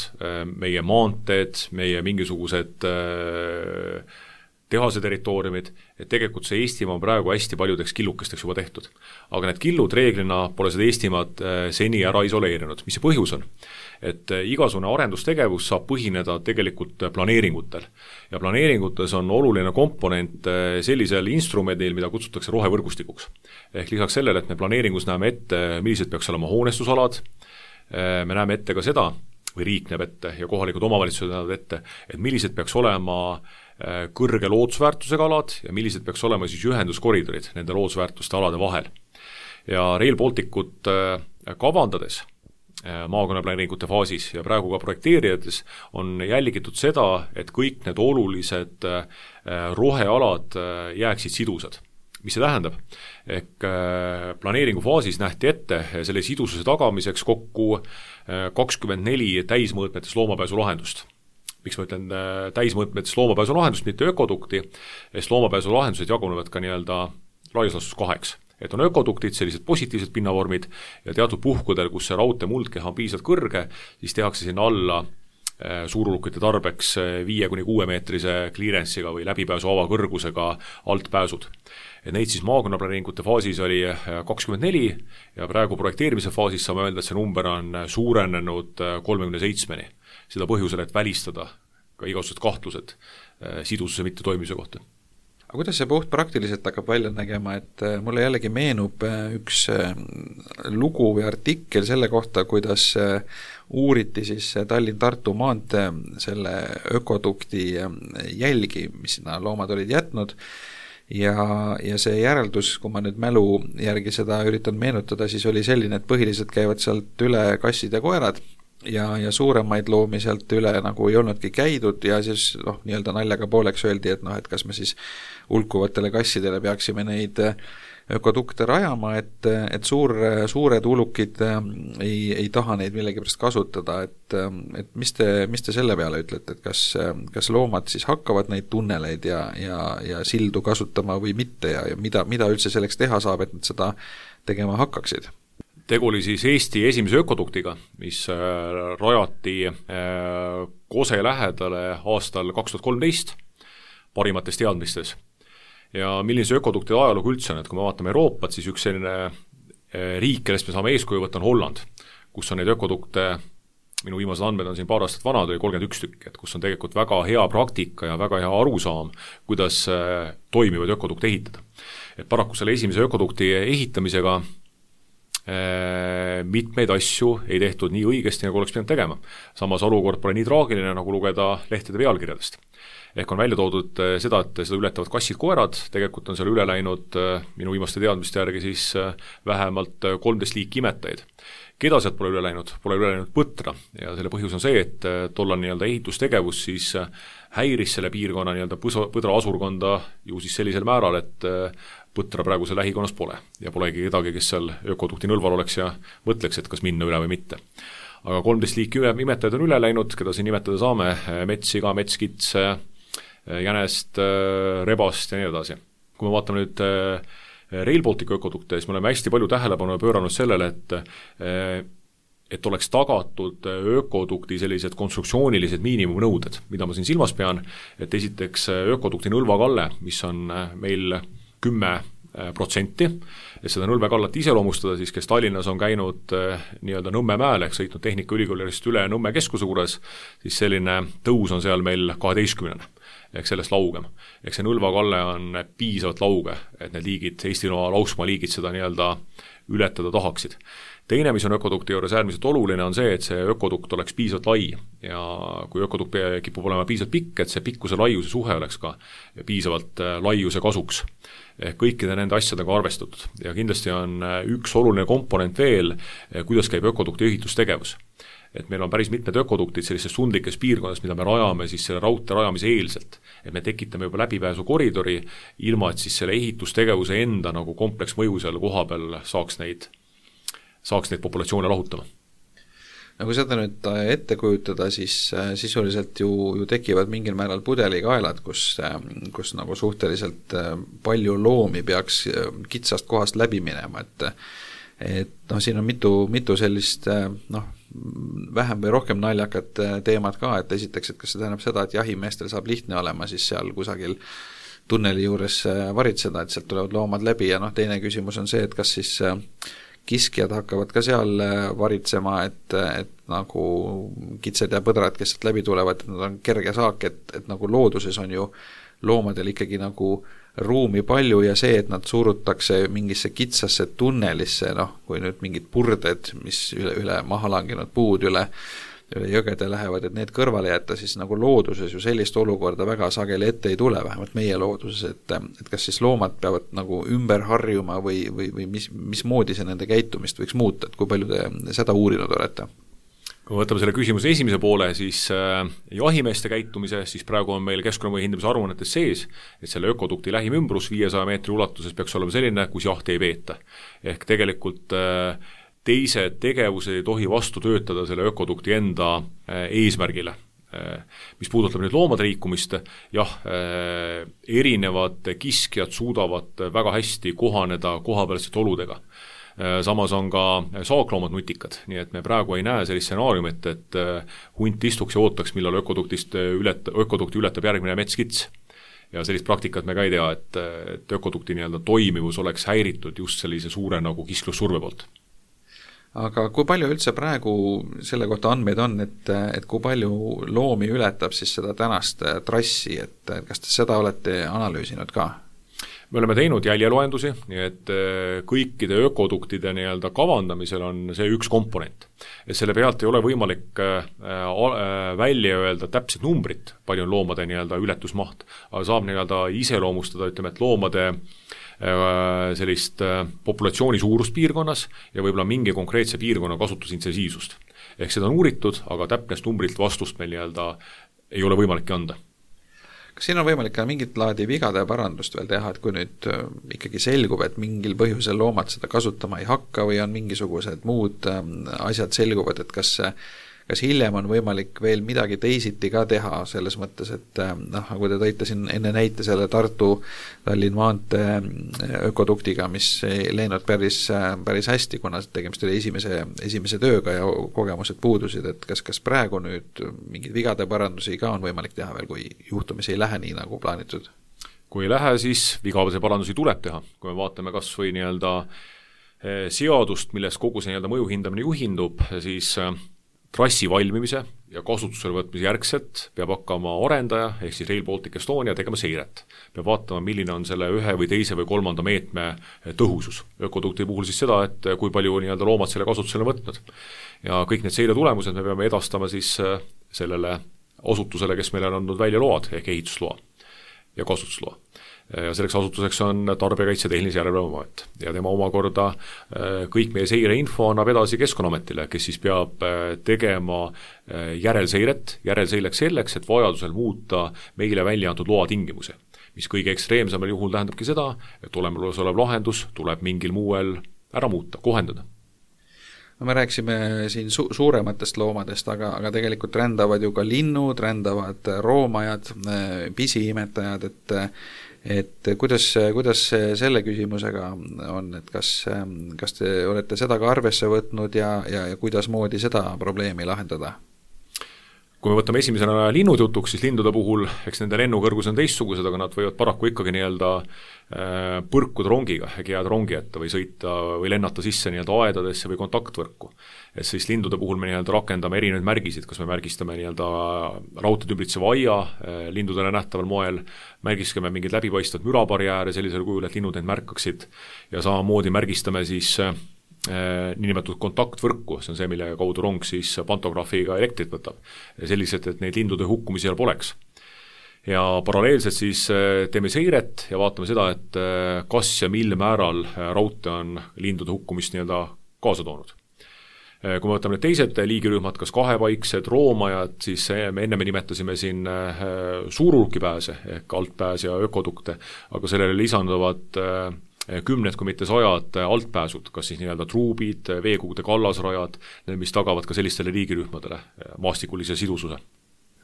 meie maanteed, meie mingisugused tehase territooriumid, et tegelikult see Eestimaa on praegu hästi paljudeks killukesteks juba tehtud. Aga need killud reeglina pole seda Eestimaad seni ära isoleerinud. Mis see põhjus on? Et igasugune arendustegevus saab põhineda tegelikult planeeringutel. Ja planeeringutes on oluline komponent sellisel instrumendil, mida kutsutakse rohevõrgustikuks. Ehk lisaks sellele, et me planeeringus näeme ette, millised peaks olema hoonestusalad, me näeme ette ka seda, või riik näeb ette ja kohalikud omavalitsused näevad ette, et millised peaks olema kõrge loodusväärtusega alad ja millised peaks olema siis ühenduskoridorid nende loodusväärtuste alade vahel. Ja Rail Balticut kavandades maakonnaplaneeringute faasis ja praegu ka projekteerijates on jälgitud seda, et kõik need olulised rohealad jääksid sidusad. Mis see tähendab? Ehk planeeringu faasis nähti ette selle sidususe tagamiseks kokku 24 täismõõtmetes loomapääsu lahendust. Miks ma ütlen täismõõtmetes loomapääsu lahendust, mitte ökodukti, sest loomapääsu lahendused jagunevad ka nii-öelda laias laastus 2. Et on ökoduktid, sellised positiivsed pinnavormid ja teatud puhkudel, kus see raudtee muldkeha on piisavalt kõrge, siis tehakse sinna alla suurulukite tarbeks 5-6 meetrise clearance'iga või läbipääsu avakõrgusega altpääsud. Et neid siis maakonnaplaneeringute faasis oli 24 ja praegu projekteerimise faasis saame öelda, et see number on suurenenud 37-ni. Seda põhjusel, et välistada ka igasugused kahtlused sidususe mitte toimimise kohta. Aga kuidas see puht praktiliselt hakkab välja nägema, et mulle jällegi meenub üks lugu või artikkel selle kohta, kuidas uuriti siis Tallinn-Tartu maantee selle ökodukti jälgi, mis sinna loomad olid jätnud ja see järeldus, kui ma nüüd mälu järgi seda üritan meenutada, siis oli selline, et põhiliselt käivad sealt üle kassid ja koerad ja suuremaid loomi sealt üle nagu ei olnudki käidud ja siis nii-öelda naljaga pooleks öeldi, et et kas me siis hulkuvatele kassidele peaksime neid ökodukte rajama, et suured ulukid ei taha neid millegipärast kasutada, et mis te selle peale ütlete, et kas loomad siis hakkavad neid tunneleid ja sildu kasutama või mitte ja mida üldse selleks teha saab, et nad seda tegema hakkaksid? Tegu oli siis Eesti esimese ökoduktiga, mis rajati Kose lähedale aastal 2013 parimates teadmistes. Ja milline see ökodukti ajalugu üldse on, et kui me vaatame Euroopat, siis üks selline riik, kellest me saame eeskuju võtta, on Holland, kus on neid ökodukte, minu viimased andmed on siin paar aastat vanad, oli 31 tükki, et kus on tegelikult väga hea praktika ja väga hea arusaam, kuidas toimivaid ökodukte ehitada. Et paraku selle esimese ökodukti ehitamisega mitmeid asju ei tehtud nii õigesti, nagu oleks pidanud tegema. Samas olukord pole nii traagiline, nagu lugeda lehtede pealkirjadest. Ehk on välja toodud seda, et seda ületavad kassid-koerad, tegelikult on seal üle läinud minu viimaste teadmiste järgi siis vähemalt 13 liiki imetajaid. Keda sealt pole üle läinud põtra ja selle põhjus on see, et tollal nii-öelda ehitustegevus siis häiris selle piirkonna nii-öelda põdra asurkonda ju siis sellisel määral, et põtra praegu seal lähikonnas pole ja polegi kedagi, kes seal ökodukti nõlval oleks ja mõtleks, et kas minna üle või mitte. Aga 13 liiki imetajad on üle läinud, keda siin nimetada saame, metssiga, metskits, jänest, rebast ja nii edasi. Kui me vaatame nüüd Rail Balticu ökodukte, siis me oleme hästi palju tähelepanu pööranud sellele, et oleks tagatud ökodukti sellised konstruktsioonilised miinimumnõuded, mida ma siin silmas pean, et esiteks ökodukti nõlvakalle, mis on meil 10%, et seda nõlvekallat iseloomustada, siis kes Tallinnas on käinud nii-öelda Nõmme mäel ehk sõitnud Tehnikaülikoolist üle Nõmme keskuse juures, siis selline tõus on seal meil 12. ehk sellest laugem. Ehk see nõlvakalle on piisavalt lauge, et need liigid, Eesti lauksmaa liigid seda nii-öelda ületada tahaksid. Teine, mis on ökodukti juures äärmiselt oluline, on see, et see ökodukt oleks piisavalt lai ja kui ökodukt kipub olema piisavalt pikk, et see pikkuse laiuse suhe oleks ka piisavalt laiuse kasuks. Kõikide nende asjadega arvestatud ja kindlasti on üks oluline komponent veel, kuidas käib ökodukti ehitustegevus. Et meil on päris mitmed ökoduktid sellistes tundlikes piirkondades, mida me rajame siis selle raudtee rajamise eelselt. Et me tekitame juba läbipääsu koridori, ilma et siis selle ehitustegevuse enda nagu kompleksmõju seal koha peal saaks neid populatsioone lahutama. Kui seda nüüd ette kujutada, siis sisuliselt ju tekivad mingil määral pudelikaelad, kus nagu suhteliselt palju loomi peaks kitsast kohast läbi minema, et siin on mitu sellist vähem või rohkem naljakat teemad ka, et esiteks, et kas see tähendab seda, et jahimeestel saab lihtne olema siis seal kusagil tunneli juures varitseda, et sealt tulevad loomad läbi ja teine küsimus on see, et kas siis kiskjad hakkavad ka seal varitsema, et nagu kitsed ja põdrad, kes sealt läbi tulevad, et nad on kerge saak, et nagu looduses on ju loomadel ikkagi nagu ruumi palju ja see, et nad surutakse mingisse kitsasse tunnelisse, kui nüüd mingid purded, mis üle maha langenud puud üle jõgede lähevad, et need kõrvale jätta, siis nagu looduses ju sellist olukorda väga sageli ette ei tule, vähemalt meie looduses, et kas siis loomad peavad nagu ümber harjuma või mismoodi see nende käitumist võiks muuta, et kui palju te seda uurinud olete? Kui võtame selle küsimuse esimese poole, siis jahimeeste käitumise, siis praegu on meil keskkonnamõju hindamise aruannetes sees, et selle ökodukti lähim ümbrus 500 meetri ulatuses peaks olema selline, kus jahti ei peeta. Ehk tegelikult teised tegevused ei tohi vastu töötada selle ökodukti enda eesmärgile. Mis puudutab nüüd loomade liikumist, jah, erinevad kiskjad suudavad väga hästi kohaneda kohapealsete oludega. Samas on ka saakloomad nutikad, nii et me praegu ei näe sellist stsenaariumit, et hunt istuks ja ootaks, millal ökodukti ületab järgmine metskits. Ja sellist praktikat me ka ei tea, et ökodukti toimivus oleks häiritud just sellise suure nagu kisklussurve poolt. Aga kui palju üldse praegu selle kohta andmeid on, et kui palju loomi ületab siis seda tänast trassi, et kas te seda olete analüüsinud ka? Me oleme teinud jäljeloendusi, nii et kõikide ökoduktide kavandamisel on see üks komponent. Et selle pealt ei ole võimalik välja öelda täpset numbrit, palju on loomade ületusmaht, aga saab iseloomustada, ütleme, et loomade sellist populatsiooni suurust piirkonnas ja võib-olla mingi konkreetse piirkonna kasutusintensiivsust. Ehk seda on uuritud, aga täpnest numbrilt vastust meil ei ole võimalik anda. Kas siin on võimalik ka mingit laadi vigade parandust veel teha, et kui nüüd ikkagi selgub, et mingil põhjusel loomad seda kasutama ei hakka või on mingisugused muud asjad selguvad, et kas hiljem on võimalik veel midagi teisiti ka teha selles mõttes, et nagu te tõite siin enne näite selle Tartu-Tallinn maantee ökoduktiga, mis ei läinud päris hästi, kuna tegemist oli esimese tööga ja kogemused puudusid, et kas praegu nüüd mingid vigade parandusi ka on võimalik teha veel, kui juhtumisi ei lähe nii nagu plaanitud? Kui ei lähe, siis vigade parandusi tuleb teha. Kui me vaatame kas või seadust, milles kogu see mõju hindamine juhindub, siis trassi valmimise ja kasutusele võtmise järgselt peab hakkama arendaja, ehk siis Rail Baltic Estonia tegema seiret. Peab vaatama, milline on selle ühe või teise või kolmanda meetme tõhusus. Ökodukti puhul siis seda, et kui palju loomad selle kasutusele võtnud. Ja kõik need seire tulemused me peame edastama siis sellele asutusele, kes meile on andnud välja load, ehk ehitusloa ja kasutusloa. Ja selleks asutuseks on Tarbijakaitse Tehnilise Järelevalve Amet ja tema omakorda kõik meie seireinfo annab edasi Keskkonnaametile, kes siis peab tegema järelseileks selleks, et vajadusel muuta meile välja antud loa tingimusi, mis kõige ekstreemsemal juhul tähendabki seda, et olemasolev lahendus tuleb mingil muuel ära muuta, kohendada. Me rääksime siin suurematest loomadest, aga tegelikult rändavad ju ka linnud, rändavad roomajad, pisiimetajad, et kuidas selle küsimusega on, et kas te olete seda ka arvesse võtnud ja kuidas moodi seda probleemi lahendada? Kui me võtame esimesena linnud jutuks, siis lindude puhul, eks nende lennukõrgus on teistsugused, aga nad võivad paraku ikkagi põrkuda rongiga, jääda rongi ette või sõita või lennata sisse aedadesse või kontaktvõrku. Et siis lindude puhul me rakendame erinevaid märgisid, kas me märgistame raudteed ümbritseva aia lindudele nähtaval moel, märgistame mingid läbipaistvad mürabarjääre sellisel kujul, et linnud neid märkaksid ja samamoodi märgistame siis niinimetatud kontaktvõrku, see on see, mille kaudu rong siis pantograafiga elektrit võtab. Sellised, et neid lindude hukkumisi seal poleks. Ja paralleelselt siis teeme seiret ja vaatame seda, et kas ja mil määral raudtee on lindude hukkumist kaasa toonud. Kui me võtame need teised liigirühmad, kas kahepaiksed, roomajad, siis me enne nimetasime siin suurulkipääse ehk altpääs ja ökodukte, aga sellele lisanduvad kümned, kui mitte sajad altpääsud, kas siis truubid, veekogude kallasrajad, mis tagavad ka sellistele liigirühmadele maastikulise sidususe.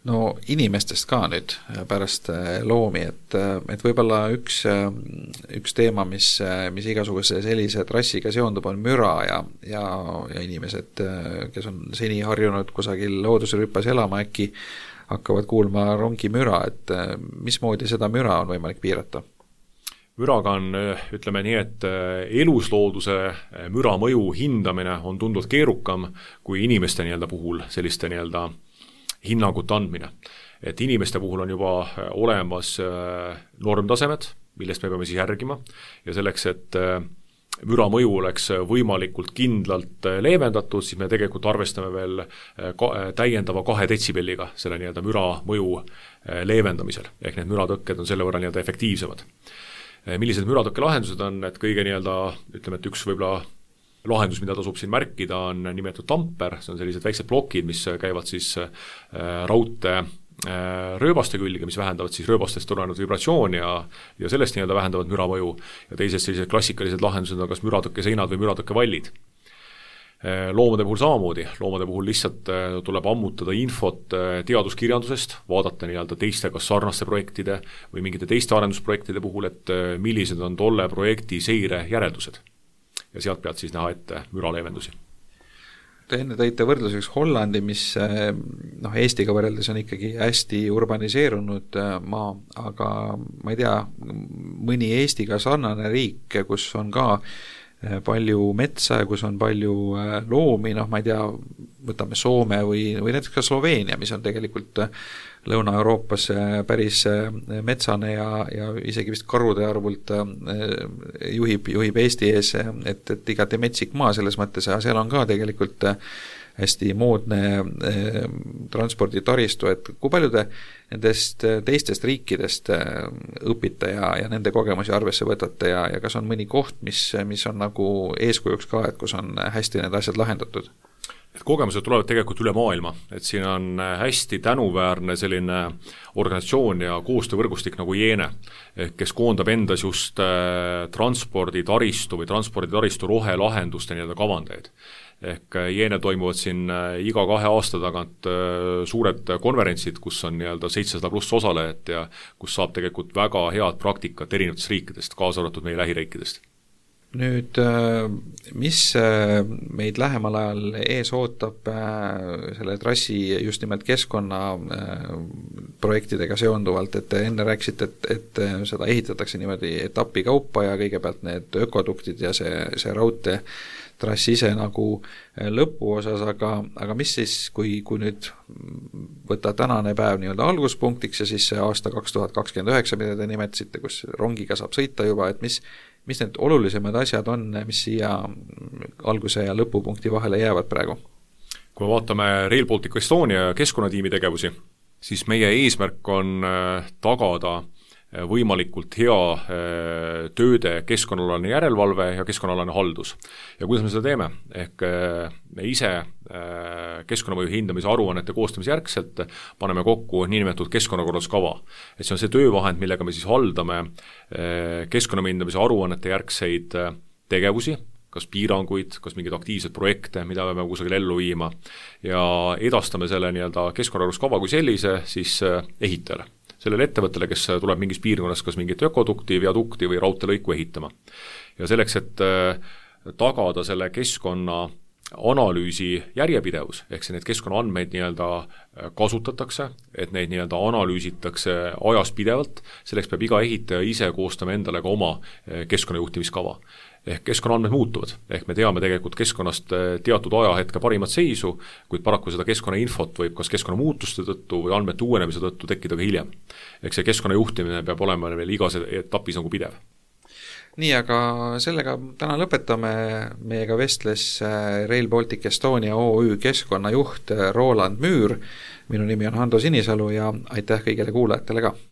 No inimestest ka nüüd pärast loomi, et võib-olla üks teema, mis igasuguse sellise trassiga seondub, on müra ja inimesed, kes on seni harjunud kusagil loodusrüpas elama, äkki hakkavad kuulma rongimüra, et mismoodi seda müra on võimalik piirata? Müraga on, ütleme nii, et eluslooduse müra mõju hindamine on tunduvalt keerukam kui inimeste puhul selliste hinnangute andmine. Et inimeste puhul on juba olemas normtasemed, millest me peame siis järgima ja selleks, et müra mõju oleks võimalikult kindlalt leevendatud, siis me tegelikult arvestame veel täiendava 2 detsibelliga selle müra mõju leevendamisel, ehk need müratõkked on selle võrra efektiivsemad. Millised müratõkke lahendused on, et kõige ütleme, et üks võib-olla lahendus, mida tasub siin märkida, on nimetatud tamper, see on sellised väiksed plokid, mis käivad siis raudtee rööbaste külge, mis vähendavad siis rööbastest tulenenud vibratsiooni ja sellest vähendavad müramõju ja teised sellised klassikalised lahendused on kas müratõkke seinad või müratõkke vallid. Loomade puhul samamoodi, loomade puhul lihtsalt tuleb ammutada infot teaduskirjandusest, vaadata teiste kas sarnaste projektide või mingite teiste arendusprojektide puhul, et millised on tolle projekti seire järeldused ja sealt pealt siis näha ette müraleevendusi. Te enne tõite võrdluseks Hollandi, mis Eestiga võrreldes on ikkagi hästi urbaniseerunud maa, aga ma ei tea, mõni Eestiga sarnane riik, kus on ka palju metsa ja kus on palju loomi, ma ei tea, võtame Soome või näiteks ka Sloveenia, mis on tegelikult Lõuna-Euroopas päris metsane ja isegi vist karude arvult juhib Eesti ees, et igati metsik maa selles mõttes, ja seal on ka tegelikult hästi moodne transporditaristu, et kui palju te nendest teistest riikidest õpite ja nende kogemusi arvesse võtate ja kas on mõni koht, mis on nagu eeskujuks ka, et kus on hästi need asjad lahendatud? Et kogemused tulevad tegelikult üle maailma, et siin on hästi tänuväärne selline organisatsioon ja koostöövõrgustik nagu Jeene, kes koondab endas just transporditaristu või transporditaristu rohelahenduste kavandeid. Ehk Jeene toimuvad siin iga 2 aasta tagant suured konverentsid, kus on 700 pluss osalejat ja kus saab tegelikult väga head praktikat erinevatest riikidest, kaasa arvatud meie lähiriikidest. Nüüd, mis meid lähemal ajal ees ootab selle trassi just nimelt keskkonna projektidega seonduvalt, et enne rääkisite, et seda ehitatakse niimoodi etapi kaupa ja kõigepealt need ökoduktid ja see raudtee trass ise nagu lõpuosas, aga mis siis, kui nüüd võtta tänane päev alguspunktiks ja siis see aasta 2029, mida te nimetasite, kus rongiga saab sõita juba, et mis need olulisemad asjad on, mis siia alguse ja lõpupunkti vahele jäävad praegu? Kui vaatame Rail Baltic Estonia keskkonnatiimi tegevusi, siis meie eesmärk on tagada võimalikult hea tööde keskkonnaalane järelevalve ja keskkonnaalane haldus. Ja kuidas me seda teeme? Ehk me ise keskkonnamõju hindamise aruannete koostamise järgselt paneme kokku niinimetatud keskkonnakorralduskava. Et see on see töövahend, millega me siis haldame keskkonnamõju hindamise aruannete järgseid tegevusi, kas piiranguid, kas mingeid aktiivseid projekte, mida me kusagil ellu viima ja edastame selle keskkonnakorralduskava kui sellise siis ehitajale. Sellele ettevõttele, kes tuleb mingis piirkonnas kas mingit ökodukti, viadukti või raudteelõiku ehitama. Ja selleks, et tagada selle keskkonna analüüsi järjepidevus, ehk need keskkonnaandmeid kasutatakse, et neid analüüsitakse ajas pidevalt, selleks peab iga ehitaja ise koostama endale ka oma keskkonnajuhtimiskava. Ehk keskkonnaandmed muutuvad, ehk me teame tegelikult keskkonnast teatud ajahetke parimat seisu, kuid paraku seda keskkonnainfot võib kas keskkonnamuutuste tõttu või andmete uuenemise tõttu tekkida ka hiljem. Ehk see keskkonnajuhtimine peab olema veel igas etapis nagu pidev. Nii, aga sellega täna lõpetame. Meiega vestles Rail Baltic Estonia OÜ keskkonnajuht Roland Müür. Minu nimi on Hando Sinisalu ja aitäh kõigile kuulajatele ka!